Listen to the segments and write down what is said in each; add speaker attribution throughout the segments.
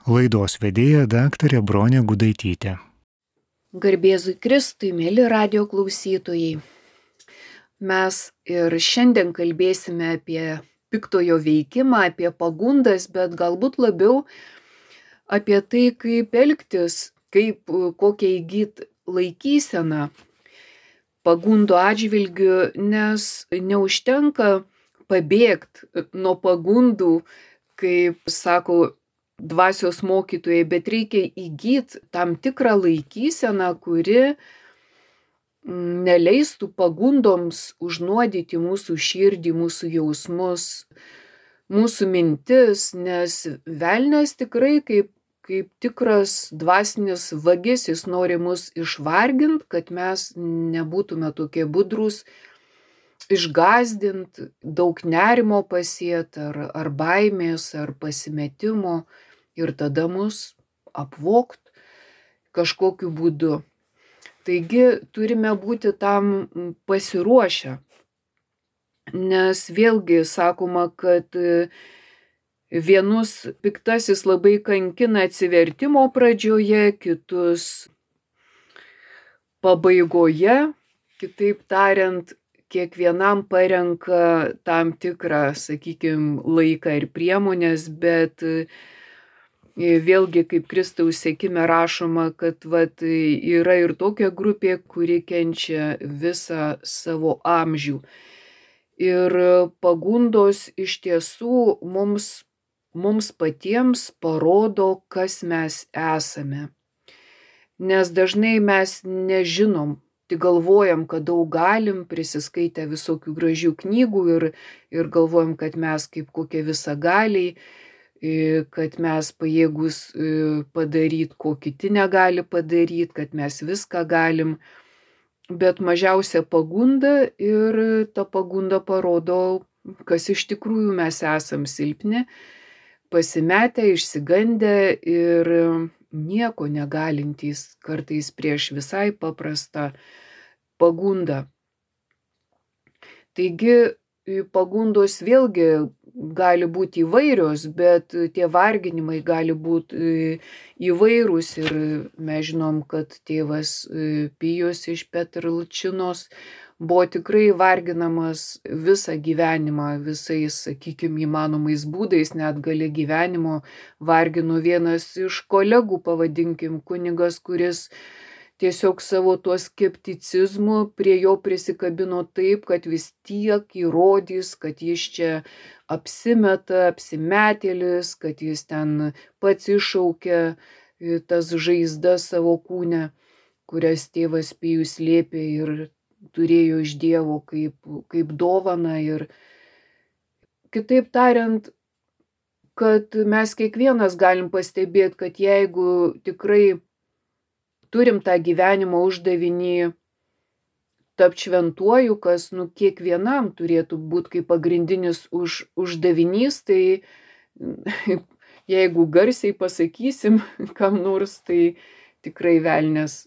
Speaker 1: Laidos vedėja daktarė Bronė Gudaitytė.
Speaker 2: Garbėzui Kristui, mėly radio klausytojai. Mes ir šiandien kalbėsime apie piktojo veikimą, apie pagundas, bet galbūt labiau apie tai, kaip elgtis, kokią įgyti laikyseną pagundų atžvilgiu, nes neužtenka pabėgti nuo pagundų, kaip sako dvasios mokytojai, bet reikia įgyti tam tikrą laikyseną, kuri neleistų pagundoms užnuodyti mūsų širdį, mūsų jausmus, mūsų mintis, nes velnias tikrai kaip tikras dvasinis vagis, jis nori mus išvarginti, kad mes nebūtume tokie budrūs, išgąsdinti, daug nerimo pasėti, ar baimės, ar pasimetimo, ir tada mus apvogt kažkokiu būdu. Taigi turime būti tam pasiruošę, nes vėlgi sakoma, kad vienus piktasis labai kankina atsivertimo pradžioje, kitus pabaigoje, kitaip tariant, kiekvienam parenka tam tikrą, sakykime, laiką ir priemonės, bet vėlgi, kaip Kristaus sekime rašoma, kad yra ir tokia grupė, kuri kenčia visą savo amžių. Ir pagundos iš tiesų mums patiems parodo, kas mes esame. Nes dažnai mes nežinom, tik galvojam, kad daug galim, prisiskaitę visokių gražių knygų ir galvojam, kad mes kaip kokie visagaliai, kad mes pajėgus padaryti, ko kiti negali padaryti, kad mes viską galim, bet mažiausia pagunda ir ta pagunda parodo, kas iš tikrųjų mes esam silpni, pasimetę, išsigandę ir nieko negalintys kartais prieš visai paprastą pagundą. Taigi pagundos vėlgi gali būti įvairios, bet tie varginimai gali būti įvairūs ir mes žinom, kad tėvas Pijus iš Petrlčinos buvo tikrai varginamas visą gyvenimą, visais, sakykime, įmanomais būdais, net gale gyvenimo vargino vienas iš kolegų, pavadinkim, kunigas, kuris tiesiog savo tuo skepticizmu prie jo prisikabino taip, kad vis tiek įrodys, kad jis čia apsimeta, apsimetėlis, kad jis ten pats iššaukia tas žaizdas savo kūne, kurias tėvas Pijus slėpė ir turėjo iš Dievo kaip dovaną. Ir kitaip tariant, kad mes kiekvienas galim pastebėti, kad jeigu tikrai turim tą gyvenimo uždavinį tapt šventuoju, kas kiekvienam turėtų būti kaip pagrindinis uždavinys, tai jeigu garsiai pasakysim kam nors, tai tikrai velnias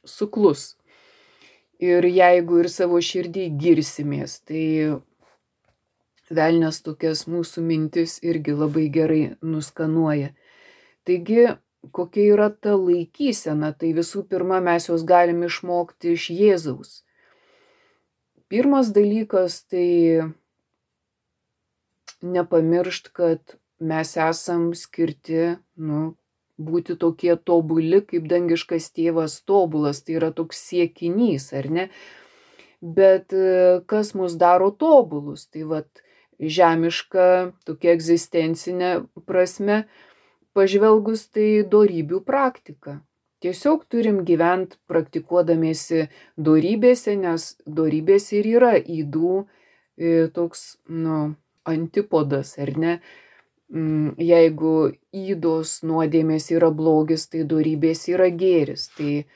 Speaker 2: suklus. Ir jeigu ir savo širdį girsimės, tai velnias tokias mūsų mintis irgi labai gerai nuskanuoja. Taigi, kokia yra ta laikysena, tai visų pirma mes jos galim išmokti iš Jėzaus. Pirmas dalykas tai nepamiršt, kad mes esam skirti būti tokie tobuli, kaip dangiškas tėvas tobulas, tai yra toks siekinys, ar ne? Bet kas mus daro tobulus? Tai žemiška tokia egzistencinė prasme pažvelgus, tai dorybių praktika. Tiesiog turim gyventi praktikuodamiesi dorybėse, nes dorybės ir yra ydų toks, antipodas, ar ne? Jeigu ydos nuodėmės yra blogis, tai dorybės yra gėris. Tai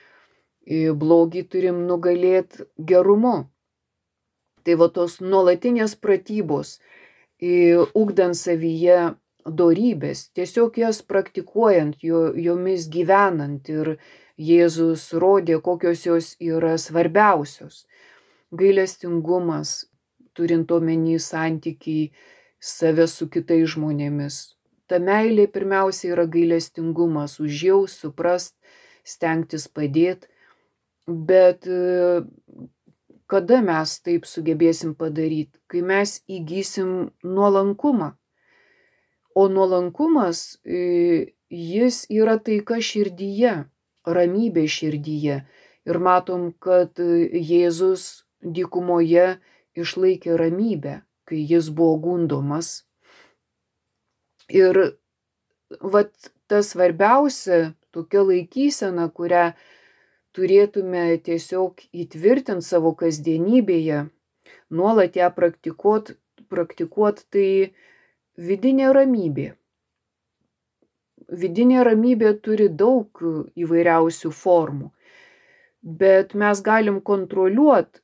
Speaker 2: blogį turim nugalėti gerumu. Tai tos nuolatinės pratybos, ugdant savyje dorybės, tiesiog jas praktikuojant, jomis gyvenant, ir Jėzus rodė, kokios jos yra svarbiausios. Gailestingumas, turint omeny santykiai save su kitais žmonėmis. ta meilė pirmiausia yra gailestingumas, užjaust, suprast, stengtis padėti. Bet kada mes taip sugebėsim padaryti? Kai mes įgysim nuolankumą. O nuolankumas, jis yra taika širdyje, ramybė širdyje. Ir matom, kad Jėzus dykumoje išlaikė ramybę, kai jis buvo gundomas. Ir vat tas svarbiausia tokia laikysena, kurią turėtume tiesiog įtvirtinti savo kasdienybėje, nuolat ją praktikuot, tai vidinė ramybė. Vidinė ramybė turi daug įvairiausių formų, bet mes galim kontroliuoti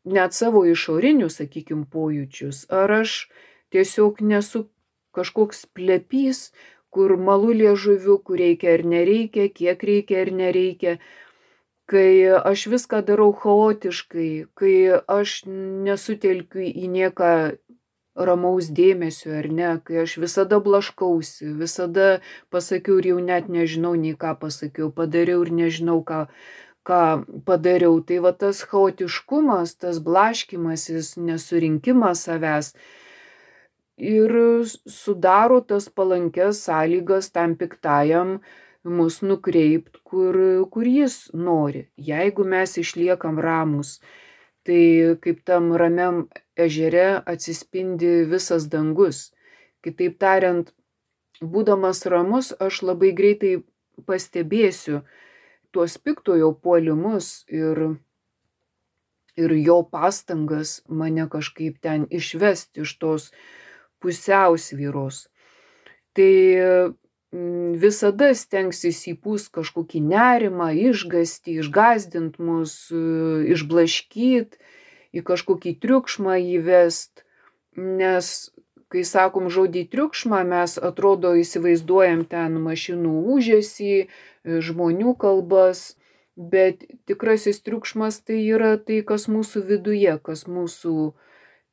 Speaker 2: net savo išorinius, sakykim, pojūčius. Ar aš tiesiog nesu kažkoks plepys, kur malu liežuviu, kur reikia ar nereikia, kiek reikia ar nereikia, kai aš viską darau chaotiškai, kai aš nesutelkiu į nieką ramaus dėmesio ar ne, kai aš visada blaškausi, visada pasakiau ir jau net nežinau nei ką pasakiau, padariau ir nežinau ką padariau. Tai va tas chaotiškumas, tas blaškymasis, nesurinkimas savęs ir sudaro tas palankes sąlygas tam piktajam mus nukreipt, kur jis nori. Jeigu mes išliekam ramūs, tai kaip tam ramiam ežere atsispindi visas dangus. Kitaip tariant, būdamas ramus, aš labai greitai pastebėsiu tuos piktojo puolimus ir jo pastangas mane kažkaip ten išvesti iš tos pusiausvyros. Tai visada stengsis įpūst kažkokį nerimą, išgąstį, išgąsdint mus, išblaškyt, į kažkokį triukšmą įvest, nes kai sakom žodį triukšmą, mes atrodo įsivaizduojam ten mašinų ūžesį, žmonių kalbas, bet tikrasis triukšmas tai yra tai, kas mūsų viduje, kas mūsų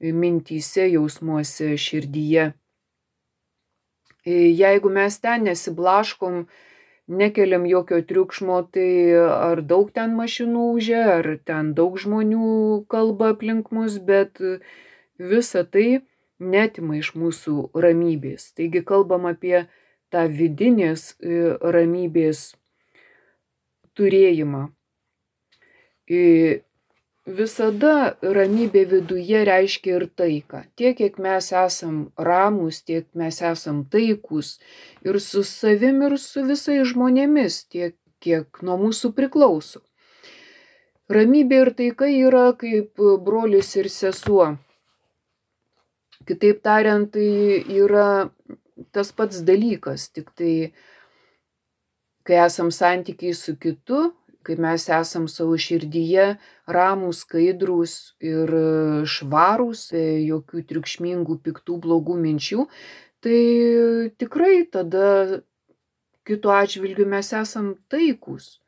Speaker 2: mintyse, jausmuose, širdyje. Jeigu mes ten nesiblaškom, nekeliam jokio triukšmo, tai ar daug ten mašinų ūžia, ar ten daug žmonių kalba aplink mus, bet visa tai netima iš mūsų ramybės. Taigi kalbam apie tą vidinės ramybės turėjimą. Visada ramybė viduje reiškia ir taiką. Tiek, kiek mes esam ramūs, tiek mes esam taikūs ir su savim, ir su visais žmonėmis, tiek, kiek nuo mūsų priklauso. Ramybė ir taika yra kaip brolis ir sesuo. Kitaip tariant, tai yra tas pats dalykas, tik tai, kai esam santykiai su kitu, kai mes esam savo širdyje ramūs, skaidrūs ir švarūs, jokių triukšmingų, piktų, blogų minčių, tai tikrai tada kito atžvilgiu mes esam taikūs.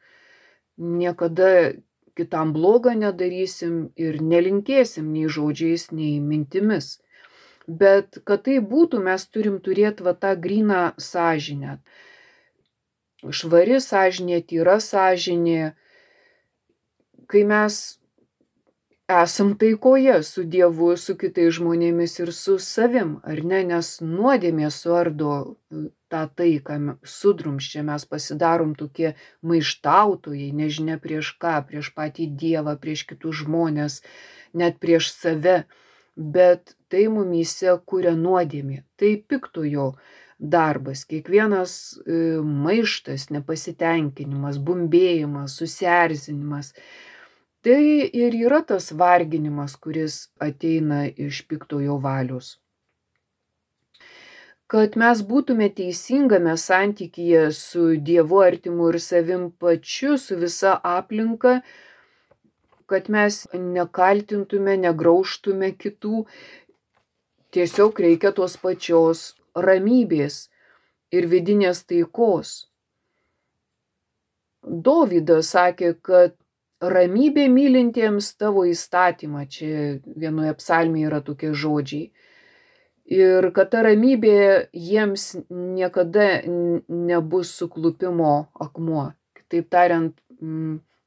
Speaker 2: Niekada kitam blogą nedarysim ir nelinkėsim nei žodžiais, nei mintimis. Bet kad tai būtų, mes turim turėti tą gryną sąžinę. Švari sąžinė, tyra sąžinė, kai mes esam taikoje su Dievu, su kitais žmonėmis ir su savim, ar ne, nes nuodėmė suardo tą taiką, sudrumsčia, mes pasidarom tokie maištautojai, nežinia prieš ką, prieš patį Dievą, prieš kitus žmonės, net prieš save, bet tai mumyse kuria nuodėmė, tai piktojo darbas, kiekvienas maištas, nepasitenkinimas, bumbėjimas, susierzinimas. Tai ir yra tas varginimas, kuris ateina iš piktojo valios. Kad mes būtume teisingame santykyje su Dievu, artimu ir savim pačiu, su visa aplinka, kad mes nekaltintume, negraužtume kitų, tiesiog reikia tos pačios ramybės ir vidinės taikos. Dovydas sakė, kad ramybė mylintiems tavo įstatymą, čia vienoje psalmėje yra tokie žodžiai. Ir kad ta ramybė jiems niekada nebus suklupimo akmuo. Kitaip tariant,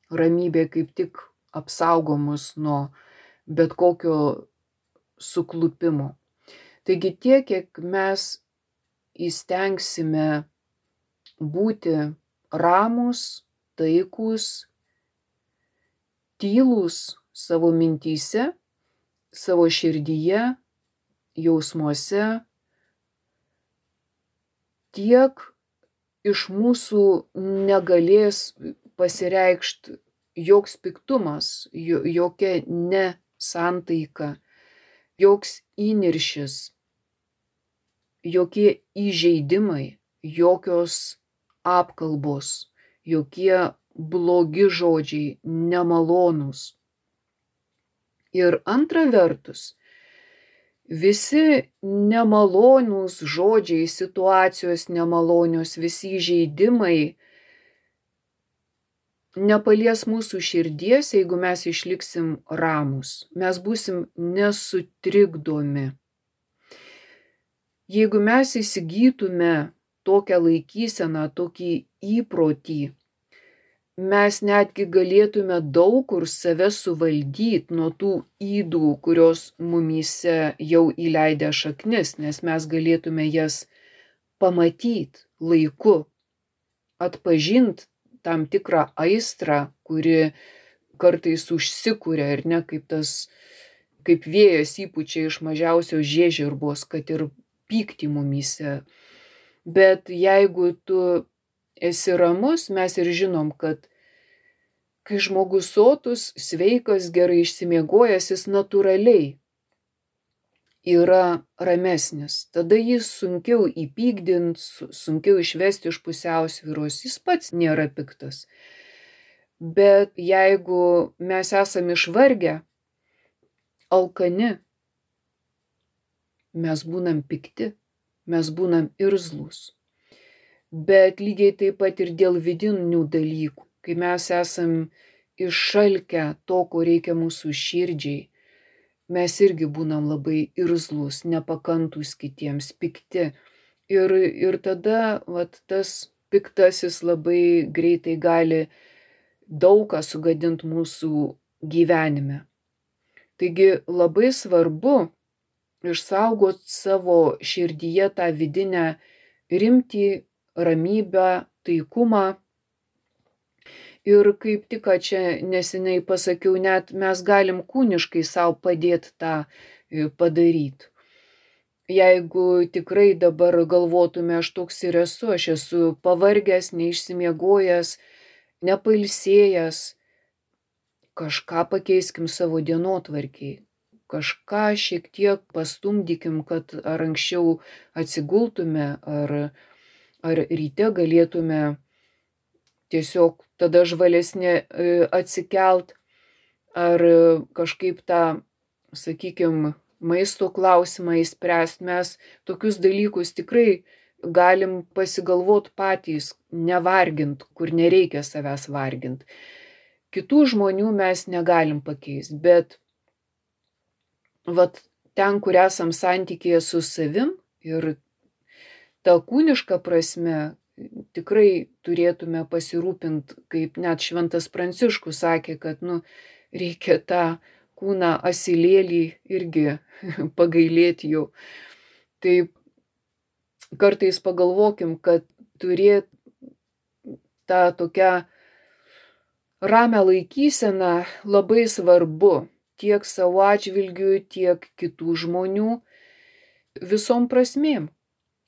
Speaker 2: ramybė kaip tik apsaugo mus nuo bet kokio suklupimo. Taigi tiek, kiek mes įstengsime būti ramūs, taikūs, tylūs savo mintyse, savo širdyje, jausmuose, tiek iš mūsų negalės pasireikšti joks piktumas, jokia nesantaika, joks įniršis, jokie įžeidimai, jokios apkalbos, jokie blogi žodžiai, nemalonūs. Ir antra vertus, visi nemalonūs žodžiai, situacijos nemalonios, visi įžeidimai nepalies mūsų širdies, jeigu mes išliksim ramūs. Mes būsim nesutrikdomi. Jeigu mes įsigytume tokią laikyseną, tokį įprotį, mes netgi galėtume daug kur save suvaldyti nuo tų ydų, kurios mumyse jau įleidę šaknis, nes mes galėtume jas pamatyti laiku, atpažinti tam tikrą aistrą, kuri kartais užsikuria ir ne kaip vėjas įpučia iš mažiausios žiežirbos, kad ir pyktį mumyse. Bet jeigu tu esi ramus, mes ir žinom, kad kai žmogus sotus, sveikas, gerai išsimiegojęs, jis natūraliai yra ramesnis. Tada jis sunkiau įpykdint, sunkiau išvesti iš pusiausvyros, jis pats nėra piktas. Bet jeigu mes esam išvargę, alkani, mes būnam pikti, mes būnam irzlūs. Bet lygiai taip pat ir dėl vidinių dalykų, kai mes esam iššalkę to, ko reikia mūsų širdžiai, mes irgi būnam labai irzlūs, nepakantus kitiems, pikti. Ir tada tas piktasis labai greitai gali daug ką sugadinti mūsų gyvenime. Taigi labai svarbu išsaugoti savo širdyje tą vidinę rimtį, ramybę, taikumą. Ir kaip tik čia neseniai pasakiau, net mes galim kūniškai savo padėti tą padaryti. Jeigu tikrai dabar galvotume, aš toks ir esu, aš esu pavargęs, neišsimiegojęs, nepailsėjęs, kažką pakeiskim savo dienotvarkiai. Kažką šiek tiek pastumdykim, kad ar anksčiau atsigultume, ar ryte galėtume tiesiog tada žvalesnė atsikelt, ar kažkaip tą, sakykime, maisto klausimą įspręsti. Mes tokius dalykus tikrai galim pasigalvoti patys, nevargint, kur nereikia savęs vargint. Kitų žmonių mes negalim pakeisti, bet ten, kur esam santykėje su savim ir ta kūniška prasme, tikrai turėtume pasirūpinti, kaip net Šventas Pranciškus sakė, kad reikia tą kūną asilėlį irgi pagailėti jau. Tai kartais pagalvokim, kad turėti tą tokią ramią laikyseną labai svarbu tiek savo atžvilgiu, tiek kitų žmonių visom prasmėm.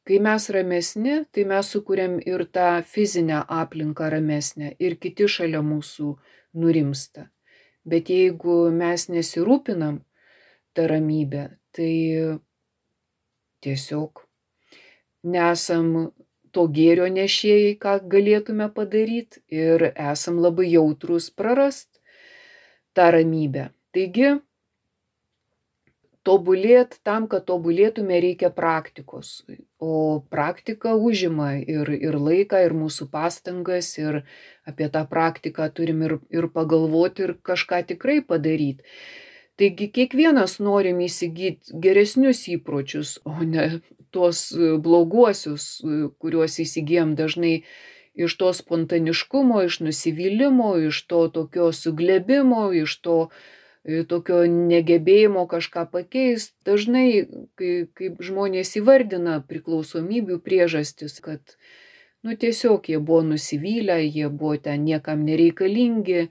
Speaker 2: Kai mes ramesni, tai mes sukuriam ir tą fizinę aplinką ramesnę ir kiti šalia mūsų nurimsta. Bet jeigu mes nesirūpinam tą ramybę, tai tiesiog nesam to gėrio nešėjai, ką galėtume padaryti, ir esam labai jautrus prarast tą ramybę. Taigi, tam, kad tobulėtume, reikia praktikos. O praktika užima ir laiką, ir mūsų pastangas, ir apie tą praktiką turim ir pagalvoti, ir kažką tikrai padaryti. Taigi kiekvienas norim įsigyti geresnius įpročius, o ne tuos bloguosius, kuriuos įsigijam dažnai iš to spontaniškumo, iš nusivylimo, iš to tokio suglebimo, iš to tokio negebėjimo kažką pakeist. Dažnai, kaip žmonės įvardina priklausomybių priežastis, kad tiesiog jie buvo nusivylę, jie buvo ten niekam nereikalingi.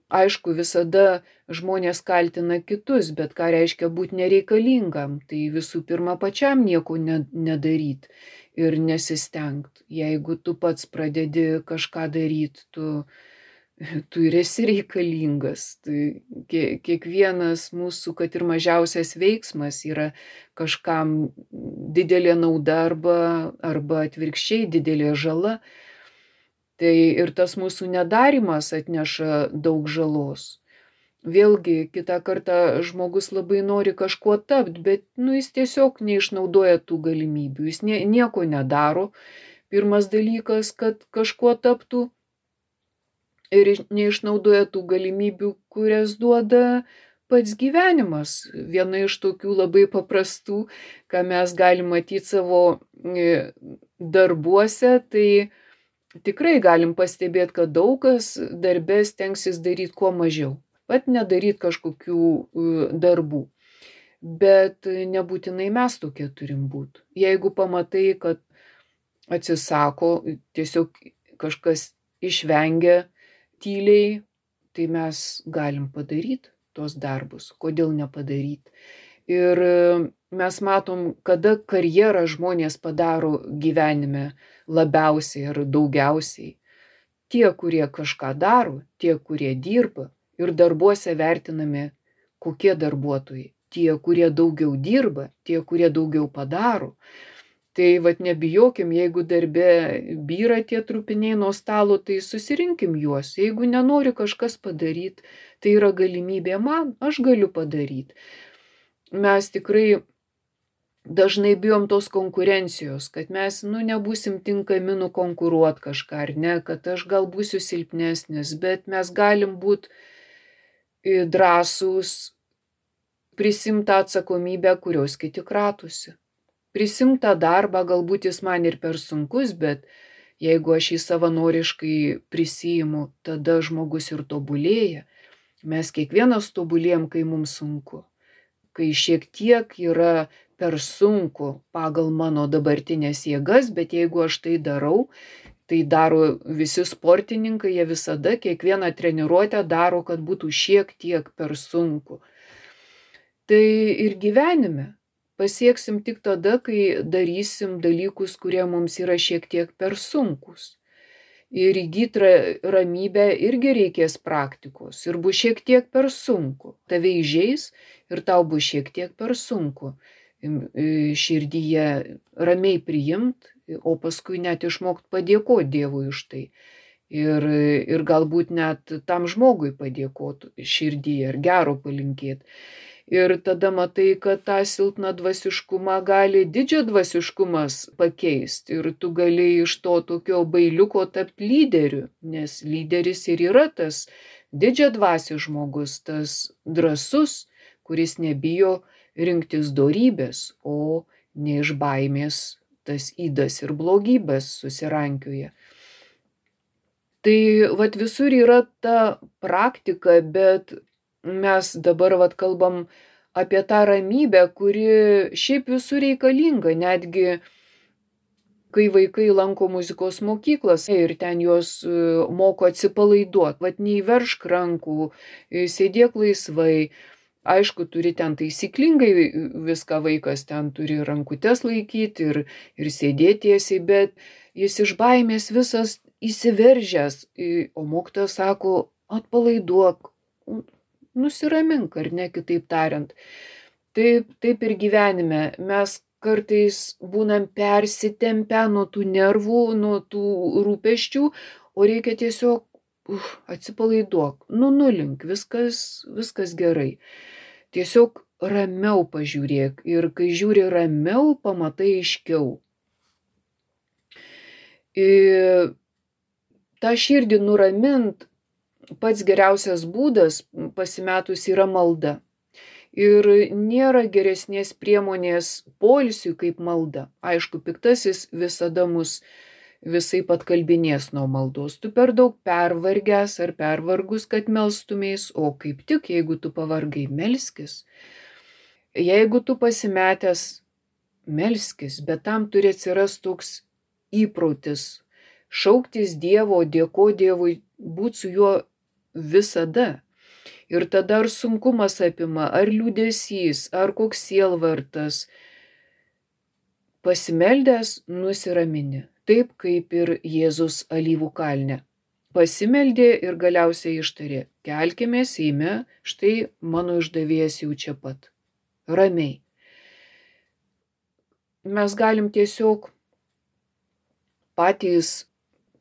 Speaker 2: Aišku, visada žmonės kaltina kitus, bet ką reiškia būti nereikalingam? Tai visų pirma pačiam nieko nedaryt ir nesistengt. Jeigu tu pats pradedi kažką daryt, tu ir esi reikalingas. Tai kiekvienas mūsų, kad ir mažiausias veiksmas yra kažkam didelė nauda arba atvirkščiai didelė žala. Tai ir tas mūsų nedarymas atneša daug žalos. Vėlgi, kitą kartą žmogus labai nori kažkuo tapt, bet jis tiesiog neišnaudoja tų galimybių. Jis nieko nedaro. Pirmas dalykas, kad kažkuo taptų. Ir neišnaudoja tų galimybių, kurias duoda pats gyvenimas. Viena iš tokių labai paprastų, ką mes galim matyti savo darbuose, tai tikrai galim pastebėti, kad daug kas darbe stengsis daryti kuo mažiau. Pat nedaryti kažkokių darbų. Bet nebūtinai mes tokie turim būti. Jeigu pamatai, kad atsisako, tiesiog kažkas išvengia tyliai, tai mes galim padaryti tos darbus. Kodėl nepadaryti? Ir mes matom, kada karjerą žmonės padaro gyvenime labiausiai ar daugiausiai. Tie, kurie kažką daro, tie, kurie dirba ir darbuose vertinami kokie darbuotojai. Tie, kurie daugiau dirba, tie, kurie daugiau padaro. Tai nebijokim, jeigu darbe byra tie trupiniai nuo stalo, tai susirinkim juos. Jeigu nenori kažkas padaryti, tai yra galimybė man, aš galiu padaryti. Mes tikrai dažnai bijom tos konkurencijos, kad mes nebūsim tinkami nukonkuruoti kažką, ar ne, kad aš gal būsiu silpnesnis, bet mes galim būti drąsūs, prisimt tą atsakomybę, kurios kiti kratosi. Prisimt tą darbą, galbūt jis man ir per sunkus, bet jeigu aš jį savanoriškai prisiimu, tada žmogus ir tobulėja. Mes kiekvienas tobulėjam, kai mums sunku. Kai šiek tiek yra per sunku pagal mano dabartinės jėgas, bet jeigu aš tai darau, tai daro visi sportininkai, jie visada kiekvieną treniruotę daro, kad būtų šiek tiek per sunku. Tai ir gyvenime. Pasieksim tik tada, kai darysim dalykus, kurie mums yra šiek tiek per sunkus. Ir įgyti ramybę irgi reikės praktikos. Ir bus šiek tiek per sunku. Tave įžeis ir tau bus šiek tiek per sunku. Širdyje ramiai priimt, o paskui net išmokt padėkoti Dievui už tai. Ir galbūt net tam žmogui padėkoti širdyje ir gero palinkėti. Ir tada matai, kad tą silpną dvasiškumą gali didžio dvasiškumas pakeisti. Ir tu gali iš to tokio bailiuko tapti lyderiu, nes lyderis ir yra tas didžia dvasių žmogus, tas drąsus, kuris nebijo rinktis dorybės, o ne iš baimės tas ydas ir blogybės susirankioja. Tai visur yra ta praktika, bet mes dabar kalbam apie tą ramybę, kuri šiaip visur reikalinga, netgi kai vaikai lanko muzikos mokyklas ir ten juos moko atsipalaiduoti, neįveršk rankų, sėdėk laisvai. Aišku, turi ten taisyklingai viską vaikas ten turi rankutes laikyti ir sėdėti tiesiai, bet jis iš baimės visas įsiveržęs, o mokytojas sako, atpalaiduok, nusiramink, ar ne, kitaip tariant. Taip ir gyvenime. Mes kartais būnam persitempę nuo tų nervų, nuo tų rūpesčių, o reikia tiesiog atsipalaiduok, nulink, viskas gerai. Tiesiog ramiau pažiūrėk ir kai žiūri ramiau, pamatai aiškiau. tą širdį nuramint pats geriausias būdas pasimetus yra malda. Ir nėra geresnės priemonės poilsiui kaip malda. Aišku, piktasis visada mus visai atkalbinės nuo maldos. Tu per daug pervargęs ar pervargus, kad melstumės, o kaip tik, jeigu tu pavargai, melskis. Jeigu tu pasimetęs, melskis, bet tam turi atsiras toks įprotis. Šauktis Dievo, dėko Dievui, būti su juo visada. Ir tada ar sunkumas apima, ar liūdesys, ar koks sielvartas, pasimeldęs nusiramini, taip kaip ir Jėzus alyvų kalne. Pasimeldė ir galiausiai ištarė, kelkimės, eime, štai mano išdavėjas jau čia pat. Ramiai. Mes galim tiesiog patys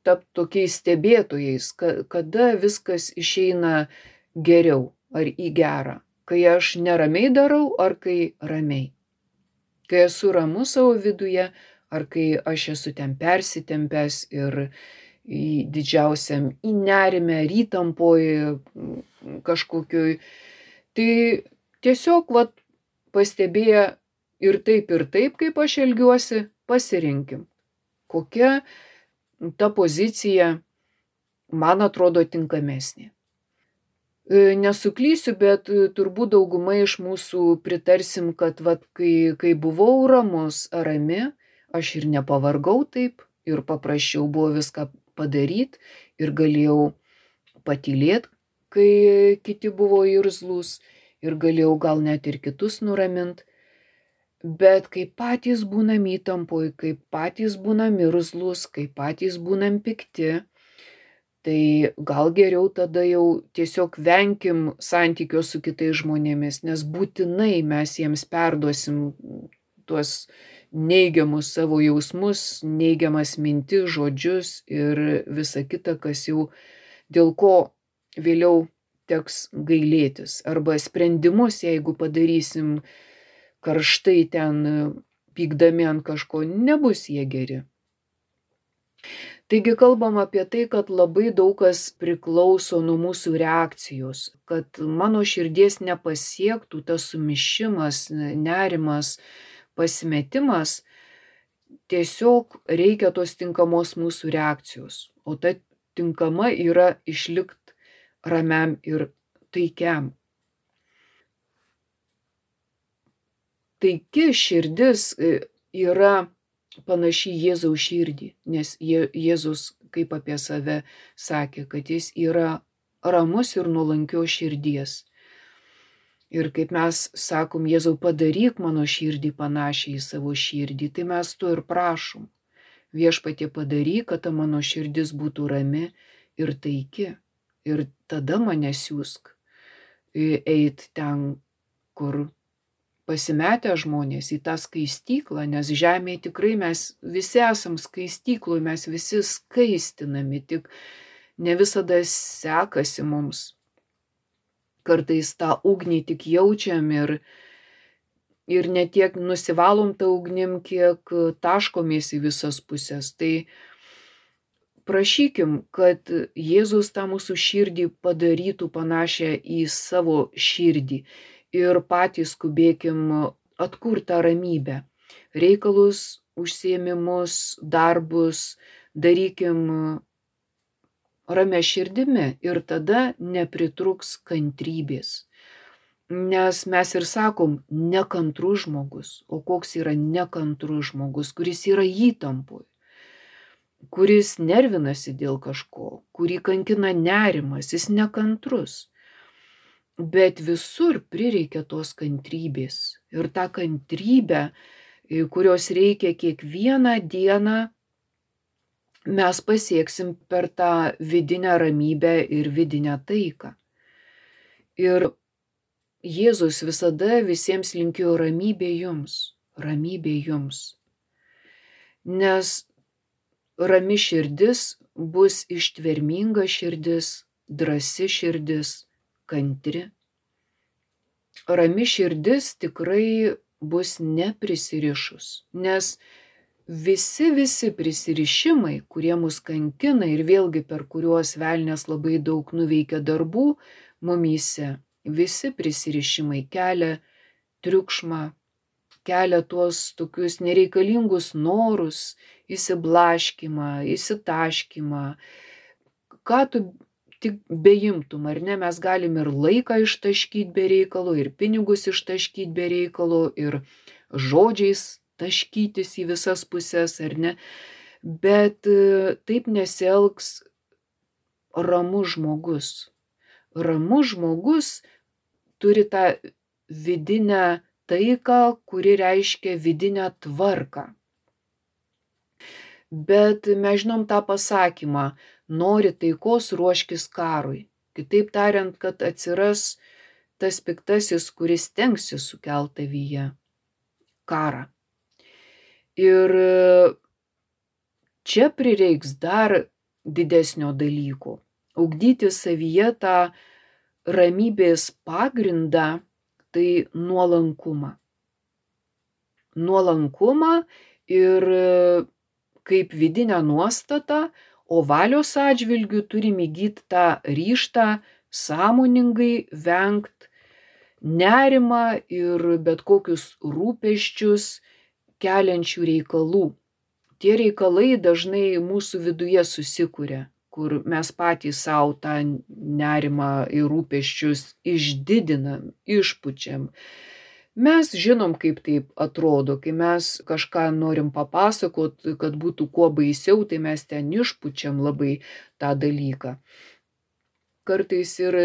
Speaker 2: tapti tokiais stebėtojais, kada viskas išeina geriau ar į gerą. Kai aš neramiai darau, ar kai ramiai. Kai esu ramus savo viduje, ar kai aš esu ten persitempęs ir didžiausiam į nerimę, įtampoj kažkokioj. Tai tiesiog pastebėję ir taip, kaip aš elgiuosi, pasirinkim. Kokia ta pozicija man atrodo tinkamesnė. Nesuklysiu, bet turbūt dauguma iš mūsų pritarsim, kad kai buvau ramus ar rami, aš ir nepavargau taip, ir paprasčiau buvo viską padaryti, ir galėjau patylėti, kai kiti buvo irzlūs, ir galėjau gal net ir kitus nuraminti. Bet kai patys būnam įtampoj, kai patys būnam irzlūs, kai patys būnam pikti, tai gal geriau tada jau tiesiog venkim santykio su kitais žmonėmis, nes būtinai mes jiems perduosim tuos neigiamus savo jausmus, neigiamas mintis, žodžius ir visa kita, kas jau dėl ko vėliau teks gailėtis. Arba sprendimus, jeigu padarysim karštai ten pykdami ant kažko, nebus jie geri. Taigi kalbam apie tai, kad labai daug kas priklauso nuo mūsų reakcijos, kad mano širdies nepasiektų tas sumišimas, nerimas, pasimetimas, tiesiog reikia tos tinkamos mūsų reakcijos, o ta tinkama yra išlikt ramiam ir taikiam. Taiki širdis yra panaši Jėzaus širdį, nes Jėzus kaip apie save sakė, kad jis yra ramus ir nuolankios širdies. Ir kaip mes sakom, Jėzau, padaryk mano širdį panašią į savo širdį, tai mes to ir prašom. Viešpatie padaryk, kad ta mano širdis būtų rami ir taiki. Ir tada mane siūsk eit ten, kur pasimetę žmonės, į tą skaistyklą, nes žemėje tikrai mes visi esam skaistykloj, mes visi skaistinami, tik ne visada sekasi mums. Kartais tą ugnį tik jaučiam ir ne tiek nusivalom tą ugnim, kiek taškomės į visas pusės. Tai prašykim, kad Jėzus tą mūsų širdį padarytų panašią į savo širdį. Ir patys skubėkim atkurti tą ramybę. Reikalus, užsiėmimus, darbus darykim ramia širdimi ir tada nepritruks kantrybės. Nes mes ir sakom, nekantrus žmogus. O koks yra nekantrus žmogus, kuris yra įtampoj, kuris nervinasi dėl kažko, kurį kankina nerimas, jis nekantrus. Bet visur prireikia tos kantrybės. Ir tą kantrybę, kurios reikia kiekvieną dieną, mes pasieksim per tą vidinę ramybę ir vidinę taiką. Ir Jėzus visada visiems linkėjo ramybė jums, ramybė jums. Nes rami širdis bus ištverminga širdis, drąsi širdis, kantri. Rami širdis tikrai bus neprisirišus, nes visi prisirišimai, kurie mus kankina ir vėlgi per kuriuos velnias labai daug nuveikia darbų mumyse, Visi prisirišimai kelia triukšmą, kelia tuos tokius nereikalingus norus, įsiblaškymą, įsitaškymą. Ką tu tik beimtum, ar ne, mes galim ir laiką ištaškyti be reikalo, ir pinigus ištaškyti be reikalo, ir žodžiais taškytis į visas puses, ar ne. Bet taip nesielgs ramus žmogus. Ramus žmogus turi tą vidinę taiką, kuri reiškia vidinę tvarką. Bet mes žinom tą pasakymą, nori taikos, ruoškis karui. Kitaip tariant, kad atsiras tas piktasis, kuris stengsis sukelt tavyje karą. Ir čia prireiks dar didesnio dalyko. Ugdyti savyje tą ramybės pagrindą, tai nuolankumą. Nuolankumą ir kaip vidinę nuostatą, o valios atžvilgiu turim įgyti tą ryžtą sąmoningai vengt nerimą ir bet kokius rūpesčius keliančių reikalų. Tie reikalai dažnai mūsų viduje susikuria, kur mes patys savo tą nerimą ir rūpesčius išdidinam, išpučiam. Mes žinom, kaip taip atrodo, kai mes kažką norim papasakot, kad būtų kuo baisiau, tai mes ten išpučiam labai tą dalyką. Kartais ir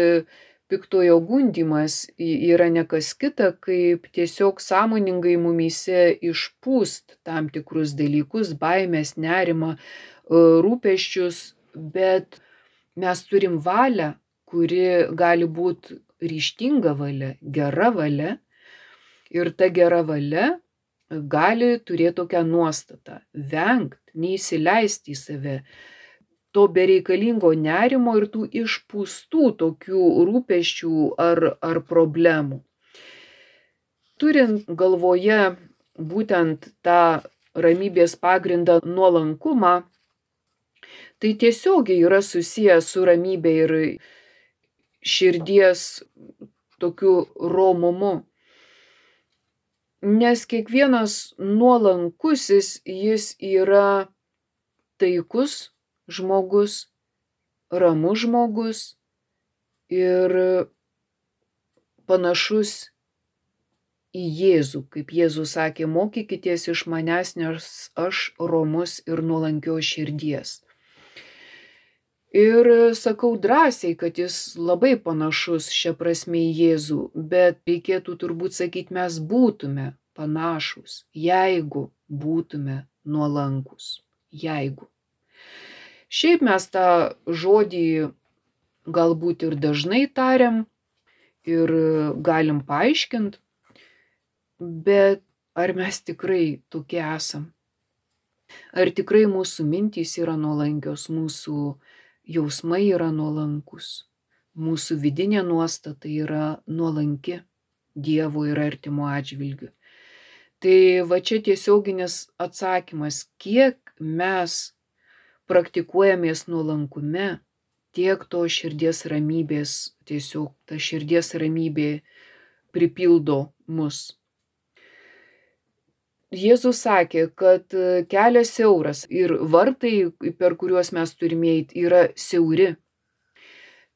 Speaker 2: piktojo gundymas yra ne kas kita, kaip tiesiog sąmoningai mumyse išpūst tam tikrus dalykus, baimės, nerimą, rūpesčius, bet mes turim valią, kuri gali būti ryžtinga valia, gera valia. Ir ta gera valia gali turėti tokią nuostatą - vengt, neįsileisti į save to bereikalingo nerimo ir tų išpūstų tokių rūpesčių ar problemų. Turint galvoje būtent tą ramybės pagrindą nuolankumą, tai tiesiogiai yra susijęs su ramybė ir širdies tokiu romumu. Nes kiekvienas nuolankusis jis yra taikus žmogus, ramus žmogus ir panašus į Jėzų. Kaip Jėzus sakė, mokykitės iš manęs, nes aš romus ir nuolankios širdies. Ir sakau drąsiai, kad jis labai panašus šia prasme į Jėzų, bet reikėtų turbūt sakyti, mes būtume panašus, jeigu būtume nuolankus. Jeigu. Šiaip mes tą žodį galbūt ir dažnai tariam ir galim paaiškinti, bet ar mes tikrai tokie esam? Ar tikrai mūsų mintys yra nuolankios, mūsų jausmai yra nuolankus, mūsų vidinė nuostata yra nuolanki Dievo ir artimo atžvilgiu. Tai va čia tiesioginis atsakymas, kiek mes praktikuojamės nuolankume, tiek to širdies ramybės, tiesiog ta širdies ramybė pripildo mus. Jėzus sakė, kad kelias siauras ir vartai, per kuriuos mes turime eiti, yra siauri.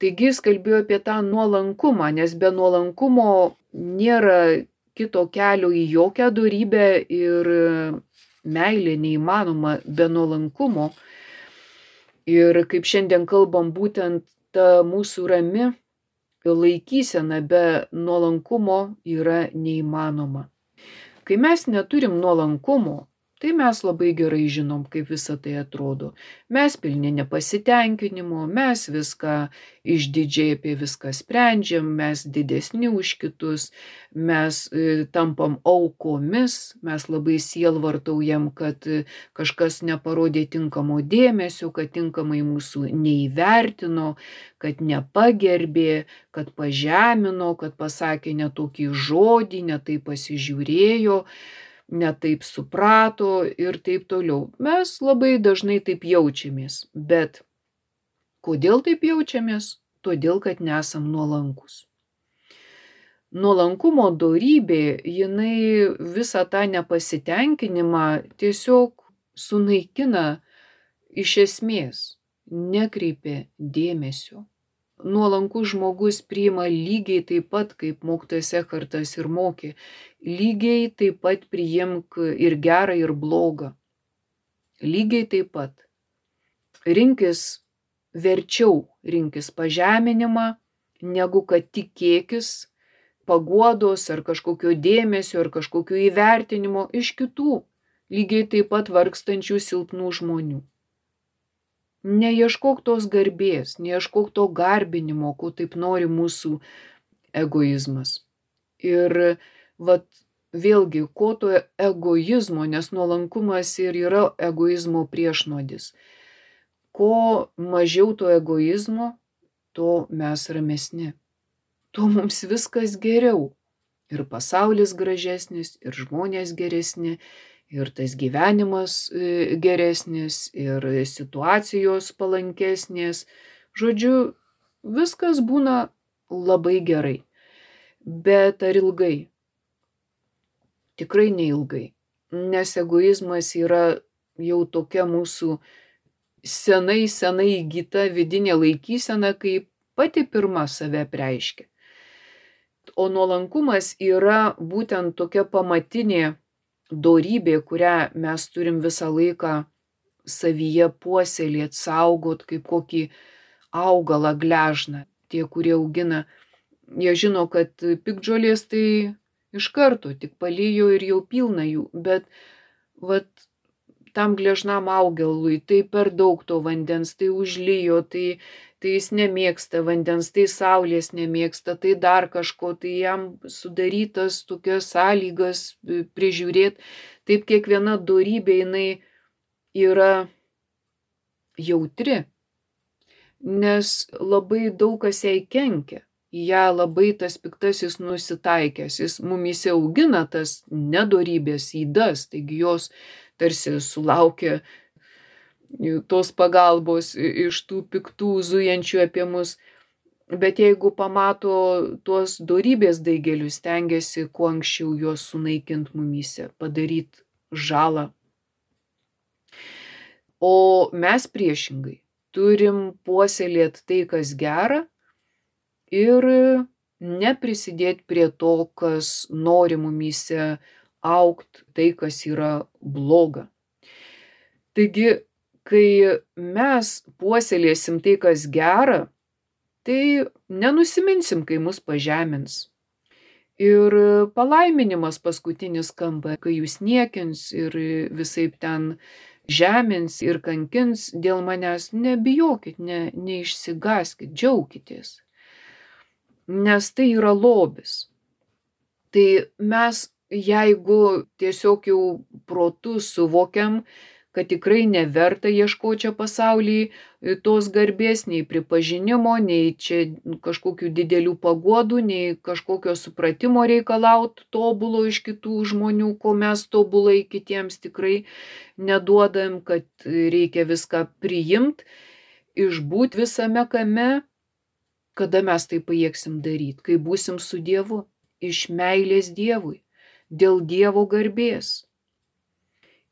Speaker 2: Taigi jis kalbėjo apie tą nuolankumą, nes be nuolankumo nėra kito kelio į jokią dorybę ir meilė neįmanoma be nuolankumo. Ir kaip šiandien kalbam, būtent ta mūsų rami laikysena be nuolankumo yra neįmanoma. Kai mes neturim nuolankumo, tai mes labai gerai žinom, kaip visa tai atrodo. Mes pilni nepasitenkinimo, mes viską išdidžiai apie viską sprendžiam, mes didesni už kitus, mes tampam aukomis, mes labai sielvartaujam, kad kažkas neparodė tinkamo dėmesio, kad tinkamai mūsų neįvertino, kad nepagerbė, kad pažemino, kad pasakė ne tokį žodį, ne taip pasižiūrėjo, ne taip suprato ir taip toliau. Mes labai dažnai taip jaučiamės, bet kodėl taip jaučiamės? Todėl, kad nesam nuolankus. nuolankumo dorybė, jinai visą tą nepasitenkinimą tiesiog sunaikina iš esmės, nekreipia dėmesio. Nuolankus žmogus priima lygiai taip pat, kaip mokytojas Ekhartas ir mokė, lygiai taip pat priimk ir gerą, ir blogą. Lygiai taip pat. Verčiau rinkis pažeminimą, negu kad tikėkis paguodos ar kažkokio dėmesio ar kažkokio įvertinimo iš kitų, lygiai taip pat vargstančių silpnų žmonių. Neieškok tos garbės, neieškok to garbinimo, ko taip nori mūsų egoizmas. Ir vėlgi, ko to egoizmo, nes nuolankumas ir yra egoizmo priešnuodis. Ko mažiau to egoizmo, to mes ramesni. Tuo mums viskas geriau. Ir pasaulis gražesnis, ir žmonės geresni, ir tas gyvenimas geresnis, ir situacijos palankesnės. Žodžiu, viskas būna labai gerai. Bet ar ilgai? Tikrai neilgai. Nes egoizmas yra jau tokia mūsų senai įgyta vidinė laikysena, kaip pati pirma save preiškia. O nuolankumas yra būtent tokia pamatinė dorybė, kurią mes turim visą laiką savyje puoselėt, saugot, kaip kokį augalą gležną. Tie, kurie augina, jie žino, kad piktžolės tai iš karto tik palijo ir jau pilna jų, bet tam gležnam augalui tai per daug to vandens, tai užlijo, tai jis nemėgsta vandens, tai saulės nemėgsta, tai dar kažko, tai jam sudarytas tokias sąlygas prižiūrėti. Taip kiekviena dorybė jinai yra jautri, nes labai daug kas jai kenkia. Į ją labai tas piktasis nusitaikęs, jis mumyse augina tas nedorybės ydas, taigi jos tarsi sulaukia tos pagalbos iš tų piktų zujančių apie mus. Bet jeigu pamato tuos dorybės daigelius, stengiasi kuo anksčiau juos sunaikint mumyse, padaryti žalą. O mes priešingai turim puoselėti tai, kas gera, ir neprisidėti prie to, kas nori mumyse augt, tai, kas yra bloga. Taigi, kai mes puoselėsim tai, kas gera, tai nenusiminsim, kai mus pažemins. Ir palaiminimas paskutinis skamba, kai jūs niekins ir visaip ten žemins ir kankins dėl manęs, nebijokit, neišsigąskit, džiaukitės. Nes tai yra lobis. Tai mes, jeigu tiesiog jau protu suvokiam, kad tikrai neverta ieškoti čia pasaulyje tos garbės, nei pripažinimo, nei čia kažkokių didelių paguodų, nei kažkokio supratimo reikalaut tobulo iš kitų žmonių, ko mes tobulai kitiems tikrai neduodam, kad reikia viską priimt, išbūt visame kame, kada mes tai pajėgsim daryti, kai būsim su Dievu, iš meilės Dievui, dėl Dievo garbės.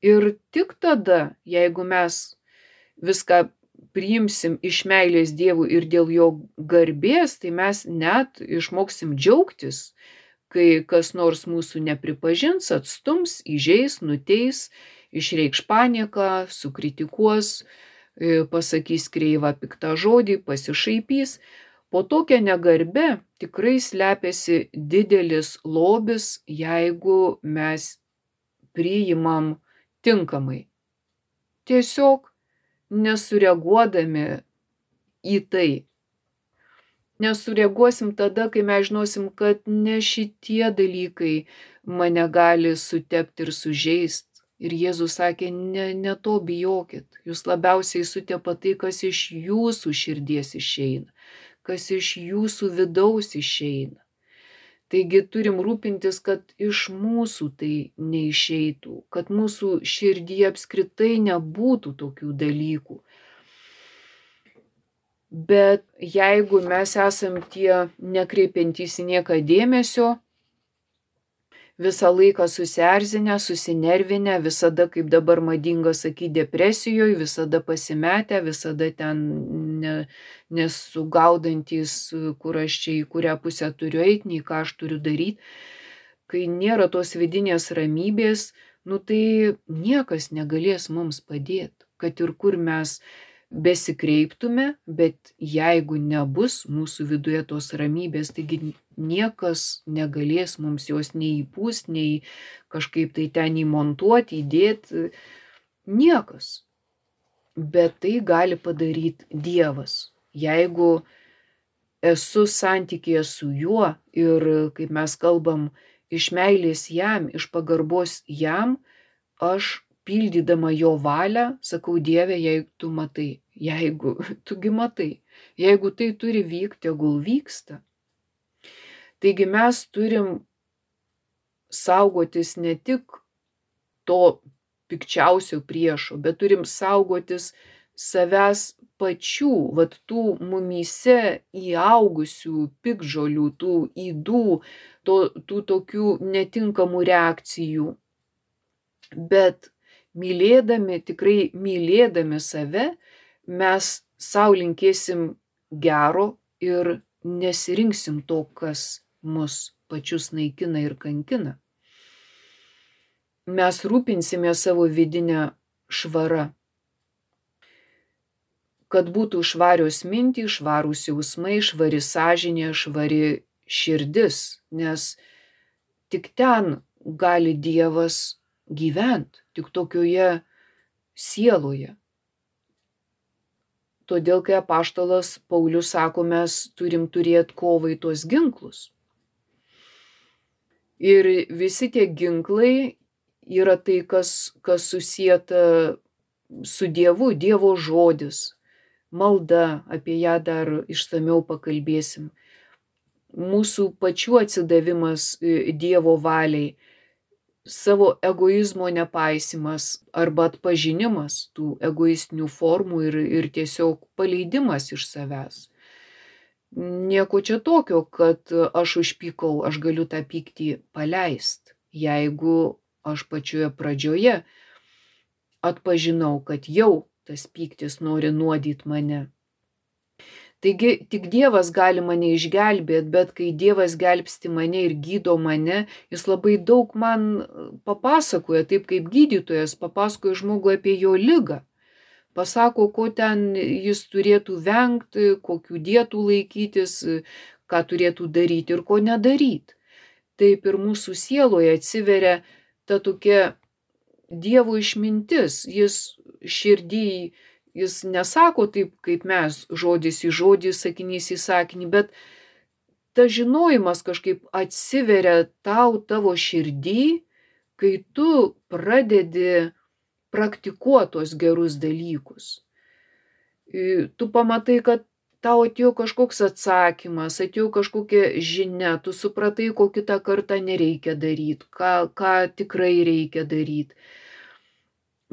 Speaker 2: Ir tik tada, jeigu mes viską priimsim iš meilės Dievui ir dėl jo garbės, tai mes net išmoksim džiaugtis, kai kas nors mūsų nepripažins, atstums, įžeis, nuteis, išreikš panieką, sukritikuos, pasakys kreivą piktą žodį, pasišaipys. Po tokia negarbe tikrai slepiasi didelis lobis, jeigu mes priimam tinkamai. Tiesiog nesureaguodami į tai. Nesureaguosim tada, kai mes žinosim, kad ne šitie dalykai mane gali sutepti ir sužeist. Ir Jėzus sakė, ne to bijokit. Jūs labiausiai sutepa tai, kas iš jūsų širdies išeina, kas iš jūsų vidaus išeina. Taigi turim rūpintis, kad iš mūsų tai neišeitų, kad mūsų širdyje apskritai nebūtų tokių dalykų. Bet jeigu mes esam tie nekreipiantys į nieką dėmesio, visą laiką susierzinę, susinervinę, visada, kaip dabar madinga sakyti, depresijoje, visada pasimetę, visada ten nesugaudantis, kur aš čia į kurią pusę turiu eiti, nei ką aš turiu daryti. Kai nėra tos vidinės ramybės, tai niekas negalės mums padėti, kad ir kur mes besikreiptume, bet jeigu nebus mūsų viduje tos ramybės, taigi niekas negalės mums jos nei įpūst, nei kažkaip tai ten įmontuoti, įdėti, niekas. Bet tai gali padaryti Dievas. Jeigu esu santykėje su juo ir, kaip mes kalbam, iš meilės jam, iš pagarbos jam, aš pildydama jo valią, sakau, Dieve, jeigu tu matai, jeigu tugi matai, jeigu tai turi vykti, tegul vyksta. Taigi mes turim saugotis ne tik to pikčiausio priešo, bet turim saugotis savęs pačių, vat tų mumyse įaugusių piktžolių, tų ydų, tų tokių netinkamų reakcijų. Bet mylėdami, tikrai mylėdami save, mes sau linkėsim gero ir nesirinksim to, kas mus pačius naikina ir kankina. Mes rūpinsime savo vidinę švarą, kad būtų švarios mintys, švarūs jausmai, švari sąžinė, švari širdis, nes tik ten gali Dievas gyventi, tik tokioje sieloje. Todėl, kai apaštalas Paulius sako, mes turim turėti kovai tuos ginklus. Ir visi tie ginklai yra tai, kas susieta su Dievu, Dievo žodis, malda, apie ją dar išsamiau pakalbėsim. Mūsų pačių atsidavimas Dievo valiai, savo egoizmo nepaisimas arba atpažinimas tų egoistinių formų ir tiesiog paleidimas iš savęs. Nieko čia tokio, kad aš užpykau, aš galiu tą pyktį paleisti, jeigu aš pačioje pradžioje atpažinau, kad jau tas pyktis nori nuodyti mane. Taigi tik Dievas gali mane išgelbėti, bet kai Dievas gelbsti mane ir gydo mane, jis labai daug man papasakoja, taip kaip gydytojas papasakoja žmogui apie jo ligą. Pasako, ko ten jis turėtų vengti, kokių dietų laikytis, ką turėtų daryti ir ko nedaryti. Taip ir mūsų sieloje atsiveria ta tokia Dievo išmintis, jis širdį, jis nesako taip, kaip mes, žodis į žodį, sakinys į sakinį, bet ta žinojimas kažkaip atsiveria tavo širdį, kai tu pradedi praktikuoti tos gerus dalykus. Tu pamatai, kad tau atėjo kažkoks atsakymas, atėjo kažkokia žinia, tu supratai, ko kitą kartą nereikia daryti, ką tikrai reikia daryti.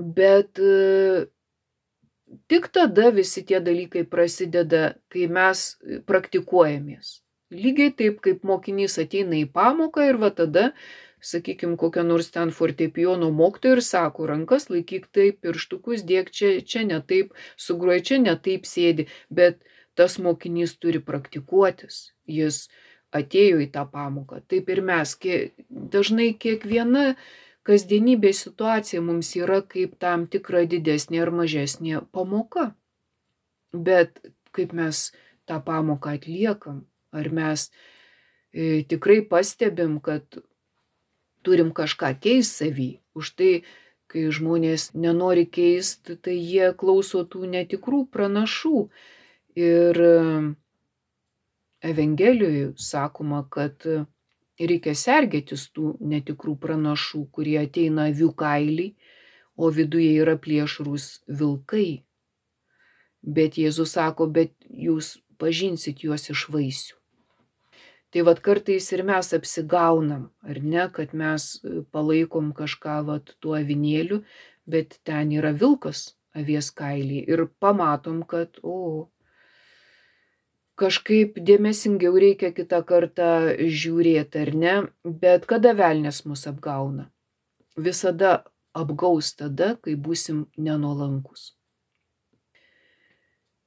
Speaker 2: Bet tik tada visi tie dalykai prasideda, kai mes praktikuojamės. Lygiai taip, kaip mokinys ateina į pamoką ir va tada, sakykime, kokia nors ten fortepijono mokytoja ir sako, rankas laikyk taip, pirštukus dėk čia ne taip, sugroji čia ne taip sėdi, bet tas mokinys turi praktikuotis, jis atėjo į tą pamoką. Taip ir mes, dažnai kiekviena kasdienybės situacija mums yra kaip tam tikra didesnė ar mažesnė pamoka. Bet kaip mes tą pamoką atliekam, ar mes tikrai pastebim, kad turim kažką keisti savy. Už tai, kai žmonės nenori keisti, tai jie klauso tų netikrų pranašų. Ir Evangelijoje sakoma, kad reikia sergėtis tų netikrų pranašų, kurie ateina avių kailį, o viduje yra plėšrūs vilkai. Bet Jėzus sako, bet jūs pažinsit juos iš vaisių. Tai vat kartais ir mes apsigaunam, ar ne, kad mes palaikom kažką tuo avinėliu, bet ten yra vilkas avies kailį ir pamatom, kad kažkaip dėmesingiau reikia kitą kartą žiūrėti, ar ne? Bet kada velnias mus apgauna? Visada apgaus tada, kai būsim nenuolankus.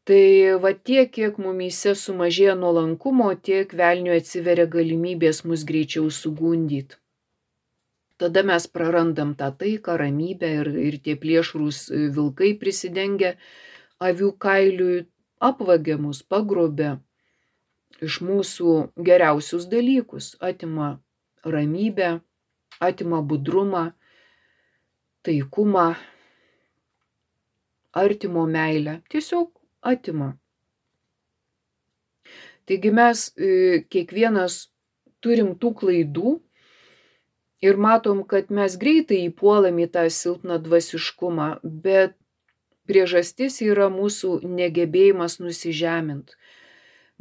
Speaker 2: Tai va tiek, kiek mumyse sumažėja nuolankumo, tiek velniui atsiveria galimybės mus greičiau sugundyti. Tada mes prarandam tą taiką, ramybę ir tie plėšrūs vilkai prisidengia avių kailiui, apvagia mus, pagrobia iš mūsų geriausius dalykus, atima ramybę, atima budrumą, taikumą, artimo meilę, tiesiog atima. Taigi mes kiekvienas turim tų klaidų ir matom, kad mes greitai įpuolam į tą silpną dvasiškumą, bet priežastis yra mūsų negebėjimas nusižemint,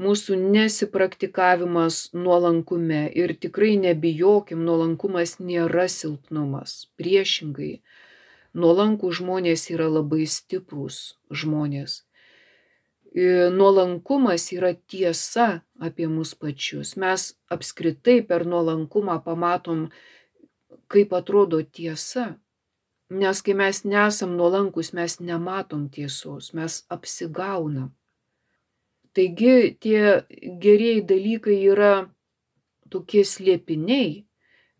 Speaker 2: mūsų nesipraktikavimas nuolankume ir tikrai nebijokim, nuolankumas nėra silpnumas, priešingai. Nuolankūs žmonės yra labai stiprūs žmonės. Nuolankumas yra tiesa apie mus pačius. Mes apskritai per nuolankumą pamatom, kaip atrodo tiesa. Nes kai mes nesam nuolankus, mes nematom tiesos, mes apsigaunam. Taigi tie gerieji dalykai yra tokie slėpiniai,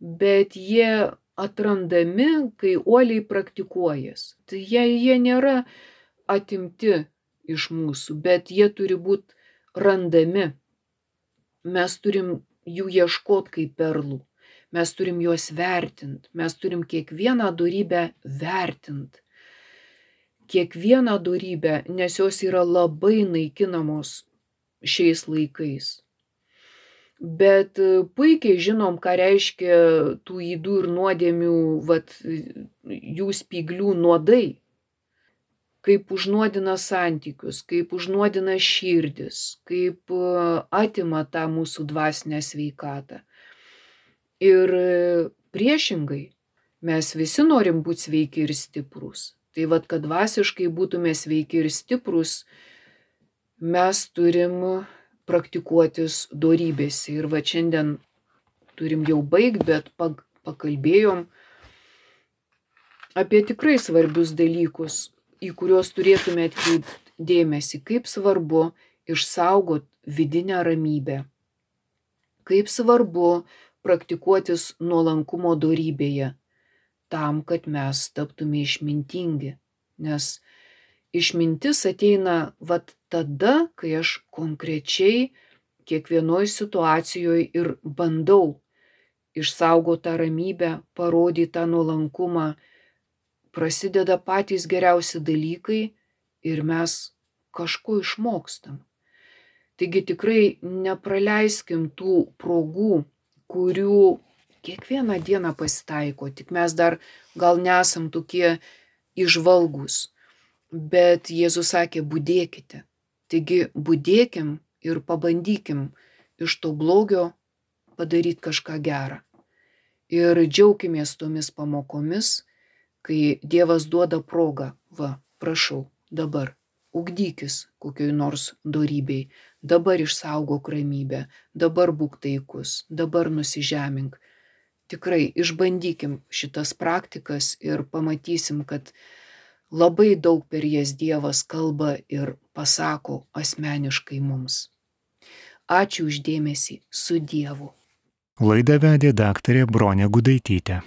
Speaker 2: bet jie atrandami, kai uoliai praktikuojas. Tai jie nėra atimti iš mūsų, bet jie turi būti randami. Mes turim jų ieškot kaip perlų. Mes turim juos vertint. Mes turim kiekvieną dorybę vertint. Kiekvieną dorybę, nes jos yra labai naikinamos šiais laikais. Bet puikiai žinom, ką reiškia tų ydų ir nuodėmių, jų spyglių nuodai. Kaip užnuodina santykius, kaip užnuodina širdis, kaip atima tą mūsų dvasinę sveikatą. Ir priešingai, mes visi norim būti sveiki ir stiprūs. Tai kad dvasiškai būtume sveiki ir stiprūs, mes turim praktikuotis dorybėse. Ir šiandien turim jau baigti, bet pakalbėjom apie tikrai svarbius dalykus, į kuriuos turėtume atkreipti dėmesį, kaip svarbu išsaugot vidinę ramybę, kaip svarbu praktikuotis nuolankumo dorybėje, tam, kad mes taptume išmintingi. Nes išmintis ateina tada, kai aš konkrečiai kiekvienoj situacijoje ir bandau išsaugoti tą ramybę, parodyti tą nuolankumą, prasideda patys geriausi dalykai ir mes kažko išmokstam. Taigi tikrai nepraleiskim tų progų, kurių kiekvieną dieną pasitaiko, tik mes dar gal nesam tokie įžvalgūs. Bet Jėzus sakė, budėkite. Taigi budėkim ir pabandykim iš to blogio padaryti kažką gerą. Ir džiaukimės tomis pamokomis, kai Dievas duoda progą, prašau, dabar ugdykis kokioj nors dorybei, dabar išsaugok ramybę, dabar būk taikus, dabar nusižemink. Tikrai išbandykim šitas praktikas ir pamatysim, kad labai daug per jas Dievas kalba ir pasako asmeniškai mums. Ačiū už dėmesį, su Dievu.
Speaker 1: Laidą vedė daktarė Bronė Gudaitytė.